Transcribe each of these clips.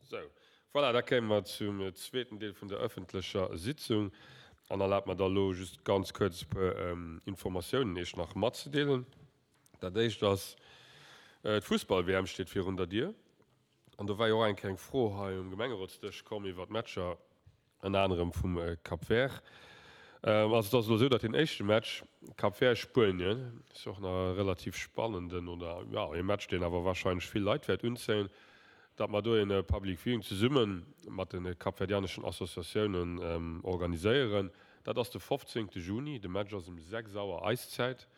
Sou, voilà, da kéime mer zum zweeten Deel vun der öffentlecher Sitzung. An erlaabt mer da elo just ganz kuerz e puer Informatiounen Iech nach matzedeelen. Dat éischt ass, D'Fussball-WM steet virun der Dier. An do war jo och eng Kéier eng Fro hei um Gemengerotsdësch komm iwwert d'Matcher. Ënner anerem vum Cap Vert. Also et ass elo esou, datt deen éischte Match Cap Vert-Spuenien, ass jo och nach e relativ spannenden oder jo ee Match, deen awer warscheinlech vill Leit wäert unzéien, datt mer do een Public Viewing zesumme mat de kapverdianeschen Associatiounen organiséieren. Dat ass de 15 Juni, de Match ass um 6 Auer eis Zäit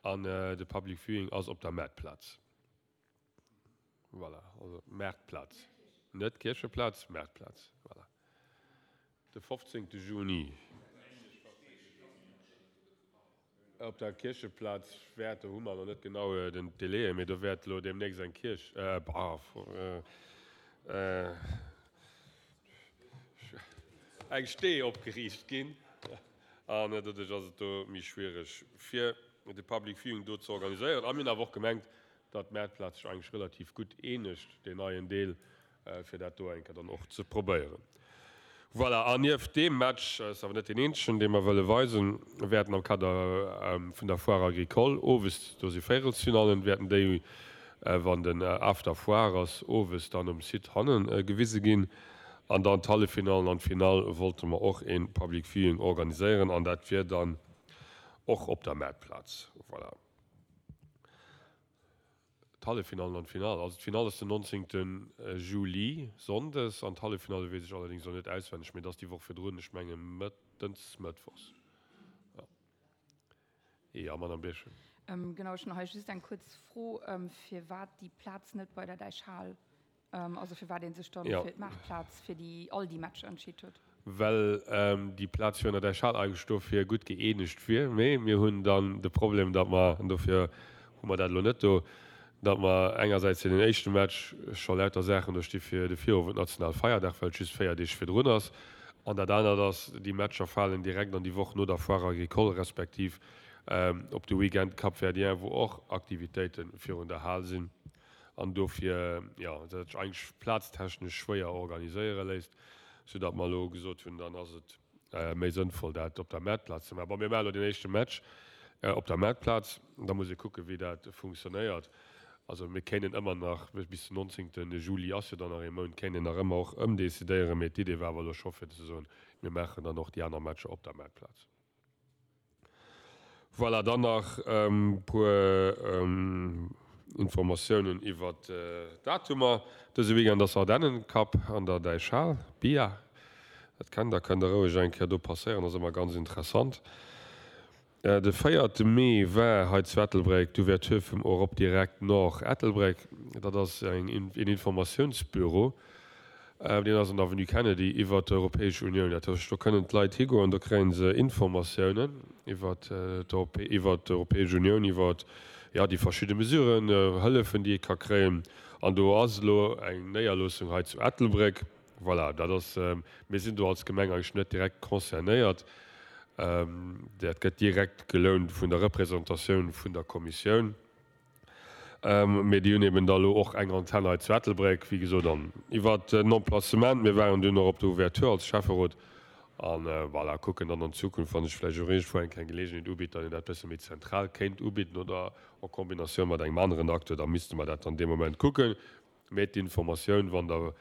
an de Public Viewing ass op der Maartplaz. Voilà, also Maartplaz, net Kiercheplaz, Maartplaz, voilà. De 15. Juni op der Kiercheplaz wäert, do hu mer nach net genau den Délai, mee do wäert elo deemnächst eng Kierch, eng Stee opgeriicht ginn an doduerch ass et do méi schwiereg fir de Public Viewing do ze organiséieren. A mir hunn awer och gemengt, datt d'Maartplaz sech eigentlech relativ gutt eenegt, deen neien Deel, fir dat do eng Kéier dann och ze probéieren. Voilà, an nieft deem Match, ass awer net deen eenzegen, dee mer wëlle weisen, wäerten am Kader vun der Foire agricole owes, do si Véierelsfinallen, wäerten déi, wann den After Foire ass, owes dann um Site hanne gewise ginn. An dann d'Halleffinallen an d'Finall wollte mer och ee Public Viewing organiséieren an dat wier dann och op der Maartplaz. Voilà. D'Halleffinallen an d'Finall. Also d'Finall ass den 19. Juli, Sonndes, an d'Hallefinalle weess ech allerdéngs elo net auswenneg, mee et ass déi Woch virdrun, ech menge Mëttens, Mëttwochs. Jo. Jo, Madame Birchen. Genau, ech hunn hei just eng kuerz Fro, firwat déi Plaz net bei der Däichhal Also firwat ee sech dann fir d'Maartplaz fir déi all déi Matcher entscheet huet. Well déi Plaz virun der Däichhal eigentlech dofir gutt gëeenegt wier. Mee mir hunn dann de Problem, datt mer, an dofir hu mer dat elo net do, datt mer engersäits fir den éischte Match scho lauter Saachen do sti fir de Virowend Nationalfeierdag, well et just 4 Deeg virdrun ass. An dat anert ass, déi Matcher falen direkt an déi Woch no der Foire agricole respektiv op de Weekend Cap-Verdien, wou och Aktivitéite virun der Hal sinn. an dofir, jo, dat sech eigentlech plaztechnesch schwéier organiséiere léisst, soudatt mer elo gesot hunn, dann ass et méi sënnvoll, dat op der Maartplaz ze maachen. Bon, mir maachen elo deen éischte Match op der Maartplaz, da muss ee kucken, wéi dat funktionéiert. Also mir kéinten ëmmer nach, bis den 19. Juli ass jo dann nach ee Mount, kéint een nach ëmmer och ëmdecidéieren, mee d'Idee war awer elo scho fir ze soen, mir maachen dann och déi aner Matcher op der Maartplaz. Voilà, dann nach e puer Informatiounen iwwert d'Datumer. Dëse Weekend ass Ardennen Cup an der Däichhal, Bia. Dat kennt der, kënnt der roueg eng Kéier do passéieren, ass ëmmer ganz interessant. De véierte Mee war hei zu Ettelbréck d'Ouverture vum Europe Direct Nord Ettelbréck. Dat ass een Informatiounsbüro. Deen ass an der Avenue Kennedy iwwert d'Europäesch Unioun. Dat heescht, do kënnen d'Leit higoen, do kréie se Informatiounen iwwert d'Europäesch Unioun, iwwert, jo, déi verschidde Mesuren, Hëllefen, déi ee ka kréien. An do ass elo eng Néierloossung hei zu Ettelbréck. Voilà, dat ass, mir sinn do als Gemeng eigentlech net direkt concernéiert. Dat gëtt direkt gelount vun der Représentatioun vun der Kommissioun. Mee déi hunn eben da lo och eng Antenn hei zu Ettelbréck, wéi gesot. An iwwert den Emplacement, mir waren dunn och op der Ouverture als Schäfferot an voilà, kucken dann an Zukunft, wa sech vläicht och iergendwou eng kleng Geleegenheet ubitt, datt een dat bësse méi zentral kéint ubidden oder en Kombinatioun mat engem aneren Acteur, da misste mer dat dann dee Moment kucken. Mee d'Informatioun, wann Der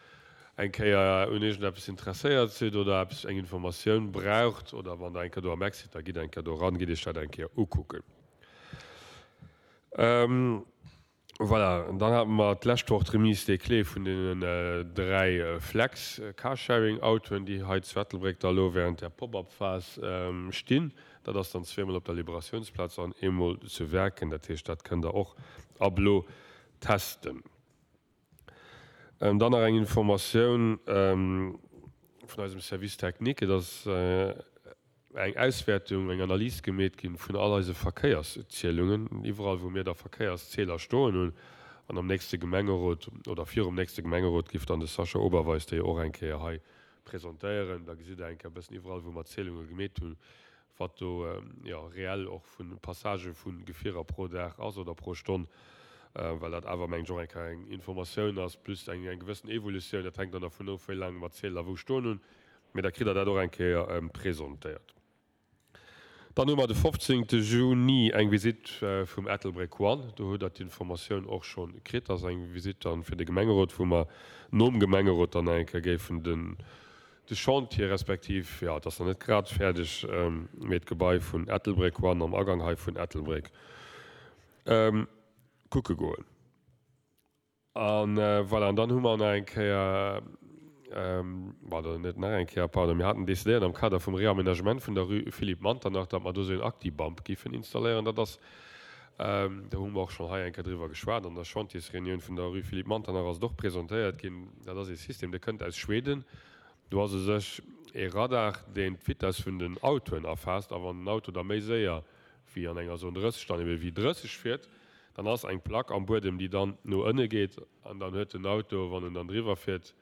eng Kéier un iergendeppes interesséiert sidd oder eppes, eng Informatioun braucht oder wann Der eng Kéier do am Eck sidd, da gitt eng Kéier do eran, gitt Iech dat eng Kéier ukucken. Voilà, dann hate mer d'lescht Woch d'Remise des clés vun deenen 3 Flex Carsharing-Autoen, déi hei zu Ettelbréck da elo während der Pop-up-Phas stinn. Dat ass dann zweemol op der Liberatiounsplaz an eemol zu Werken. Dat heescht, dat kënnt Der och ab elo testen. Dann nach eng Informatioun vun eisem Service technique. Et ass eng Auswäertung, eng Analys gemeet ginn vun all eise Verkéierszielungen, iwwerall wou mir da Verkéierszieler stoen hunn. An am nächste Gemengerot oder virum nächste Gemengerot giff dann de Sascha Oberweis déi och eng Kéier hei presentéieren. Da gesitt Der eng Kéier e bëssen iwwerall wou mer Zielunge gemeet hunn, wat do jo reell och vu Passagë vu Gefierer pro Dag ass oder pro Stonn. Well dat awer, mengen ech, och eng Kéier eng Informatioun ass, plus eng gewëssen Evolutioun. Dat hänkt dann dervun of, wéi laang mer d'Zieler wou stoen hunn. Mee da kritt Der dat och eng Kéier presentéiert. Dann hu mer de 15. Juni eng Visitt vum Ettelbréck One. Do hutt Der d'Informatioun och scho kritt. Dat ass eng Visitt dann fir de Gemengerot, wou mer nom Gemengerot dann eng Kéier géifen den de Chantier, respektiv, jo, et ass nach net grad fäerdeg, mee d'Gebai vun Ettelbréck One am Agang hei vun Ettelbréck kucke goen. A voilà, an dann hu mer nach eng Kéier, pardon, net nach eng Kéier, pardon, mir haten decidéiert am Kader vum Réaménagement vun der Rue Philippe Manternach, datt mer do esou een Actibump géifen installéieren. Dat ass, do hu mer och schonn hei eng Kéier driwwer geschwat, an der Chantiersreunioun vun der Rue Philippe Manternach ass et och presentéiert ginn. Dat ass ee System, dee kënnt aus Schweden. Do ass u sech ee Radar, deen d'Vitess vun den Autoen erfaasst, a wann den Auto da méi séier wéi an enger Zone 30 dann ebe wéi 30 fiert, dann ass eng Plack am Buedem, déi dann no ënne geet an dann huet den Auto, wann en dann driwwer fiert,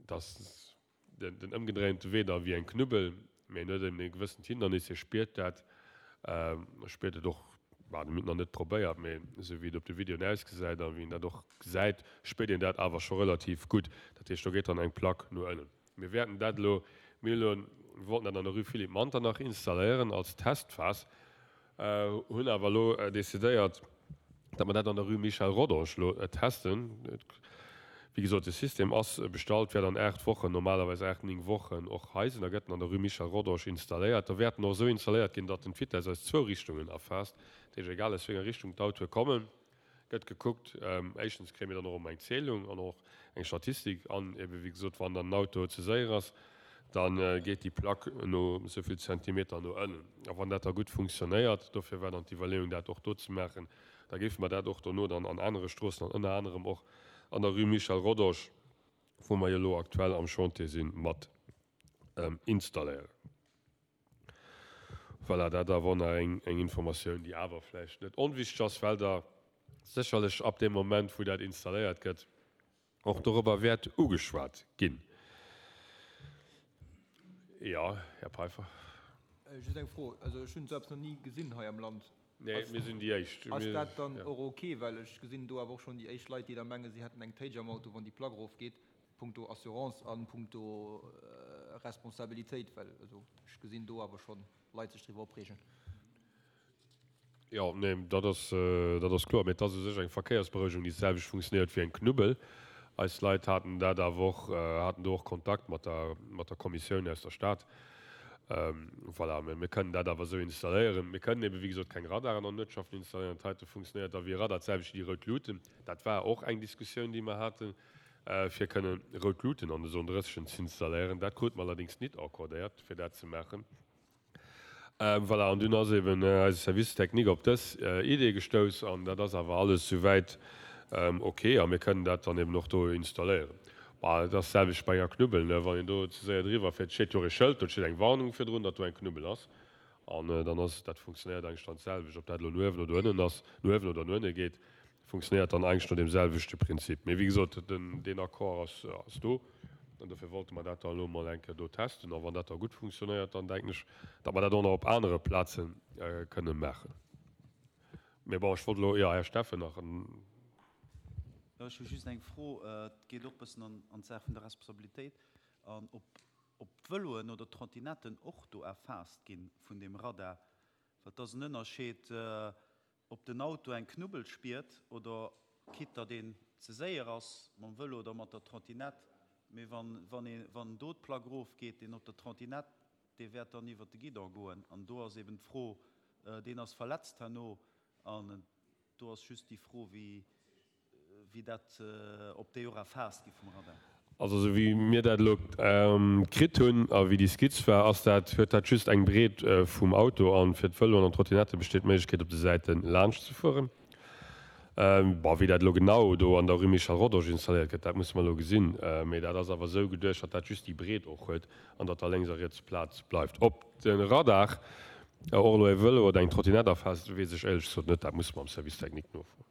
dass den ëmgedréinte Wee da wéi eng Knubbel, mee en huet eben e gewëssent Hindernis, hie spiert dat, spiert et och, bah, mir hunn et nach net probéiert, mee esou wéi et op de Videoen ausgesäit a wéi een dat och gesäit, spiert een dat awer scho relativ gutt. Dat heescht, do geet dann eng Plack no ënnen. Mir wäerten dat elo, mir hunn elo, mir wollten dat an der Rue Philippe Manternach installéieren als Testphas, hunn awer elo decidéiert, datt mer dat an der Rue Michel Rodange elo testen. Wéi gesot, de System ass bestallt, wäert an 8 Wochen, normalerweis 8, 9 Wochen och hei sinn a gëtt en an der Rue Michel Rodange installéiert. Da wäert en och esou installéiert ginn, datt en d'Vitess aus zwou Richtungen erfaasst, dat heescht egal aus wéi enger Richtung d'Autoe kommen. Gëtt gekuckt. Éischtens kréie mir dann och ëmmer eng Zählung an och eng Statistik. An ebe wéi gesot, wann dann den Auto ze séier ass, da geet déi Plack no esou vill Zentimeter no ënnen. A wann dat da gutt funktionéiert, dofir war dann d'Iwwerleeung dat och do ze maachen, da géife mer dat och dono dann an anere Stroossen an ënner anerem och an der Rue Michel Rodange, wou mer jo elo aktuell am Chantier sinn, mat installéieren. Voilà, dat awer och nach eng Informatioun, déi awer vläicht net onwichtig ass, well Der sécherlech ab deem Moment, wou dat installéiert gëtt, och dorobber wäert ugeschwat ginn. Jo, Här Peiffer. Just eng Fro, also ech hunn esou eppes nach ni gesinn hei am Land. Nee, mir sinn déi Éischt. Ass dat dann och ok? Well ech gesinn do awer och schonn déi éischt Leit, déi da mengen, si hätten eng Téitsch am Auto, wann déi Plack erofgeet. Punkto Assurance an punkto Responsabilitéit, well also ech gesinn do awer schonn Leit sech driwwer opreegen. Jo, nee, dat ass, dat ass kloer. Mee et ass u sech eng Verkéiersberouegung, déi d'selwecht funktionéiert wéi eng Knubbel. Eis Leit haten dat awer och, haten do och Kontakt mat der, mat der Kommissioun aus der Stad. Voilà, mä mir kënnen dat awer esou installéieren. Mir kënnen ebe wéi gesot keng Radaren an Uertschaften installéieren. Dat heite funktionéiert da wéi e Radar, d'selwecht wéi déi rout Luuten. Dat war och eng Diskussioun, déi mer haten. fir kënnen rout Luuten an de Zone 30 z'installéieren. Dat krute mer allerdéngs nit accordéiert, fir dat ze maachen. Voilà, an dunn ass eben eise Service technique op dës Idee gestouss an dat ass awer alles souwäit ok a mir kënnen dat dann eben och do installéieren. Bah, et ass d'selwecht bei enger Knubbel, ne, wann een do ze séier driwwer fiert, steet jo och ee Schëld, do steet eng Warnung virdrun, datt do eng Knubbel ass an dann ass, dat funktionéiert eigentlech dann d'selwecht, ob dat elo no uewen oder ënnen ass, no uewen oder no ënne geet. Funktionéiert dann eigentlech no deem selwechte Prinzip. Mee wéi gesot, deen Accord ass do an dofir wollte mer dat da elo emol eng Kéier do testen. A wann dat da gutt funktionéiert, dann denken ech, datt mer dat och nach op anere Plaze kënne maachen. Mee bon, ech wollt elo, jo, Här Steffen nach. Jo, ech hu just eng Fro. Et geet och e bëssen an d'Saach vun der Responsabilitéit an ob d'Vëloen oder d'Trottinetten och do erfaasst gi vun deem Radar. Well et ass en Ënnerscheed, Ob den Auto eng Knubbel spiert oder quitte datt een ze séier ass mam Vëlo oder mat der Trottinette, mee wann wann ee wann do d'Plack erof geet, deen op der Trottinette, dee wäert dann iwwert de Guidon goen an do ass eben d'Fro, deen ass verletzt herno an do ass just déi Fro wéi wéi dat, ob déi och erfaasst gi vum Radar. Also esou wéi mir dat elo kritt hunn a wéi déi Skizz war, ass dat, huet dat just eng Breet vum Auto an fir d'Vëloen an d'Trottinette besteet d'Méiglechkeet op de Säite laanscht ze fueren. Bon, wéi dat elo genau do an der Rue Michel Rodange installéiert gëtt, dat musse mer elo gesinn. Mee dat ass awer esou geduecht, datt dat just déi Breet och huet an datt da lénks a riets Plaz bleift. Ob de Radar och elo e Vëlo oder eng Trottinette erfaasst, weess ech éierlech gesot net. Dat musse mer am Service technique nofroen.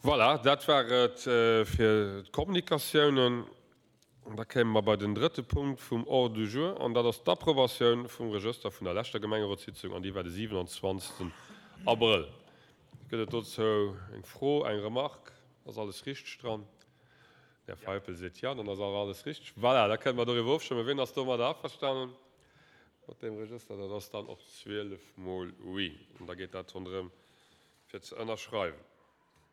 Voilà, dat war et fir d'Kommunikatiounen. Da kéime mer bei den drëtte Punkt vum Ordre du jour, an dat ass d'Approbatioun vum Regëster vun der leschter Gemengerotssitzung, an déi war de 27. Abrëll. Gëtt et dozou eng Fro, eng Remarque? Ass alles richteg dran? Den Här Feipel seet jo, dann ass awer alles richteg. Voilà, da kënne mer doriwwer ofstëmmen. Wien ass domadder averstanen, mat deem Regëster? Dat ass dann och 12 mol oui. An da geet dat ronderëm fir ze ënnerschreiwen.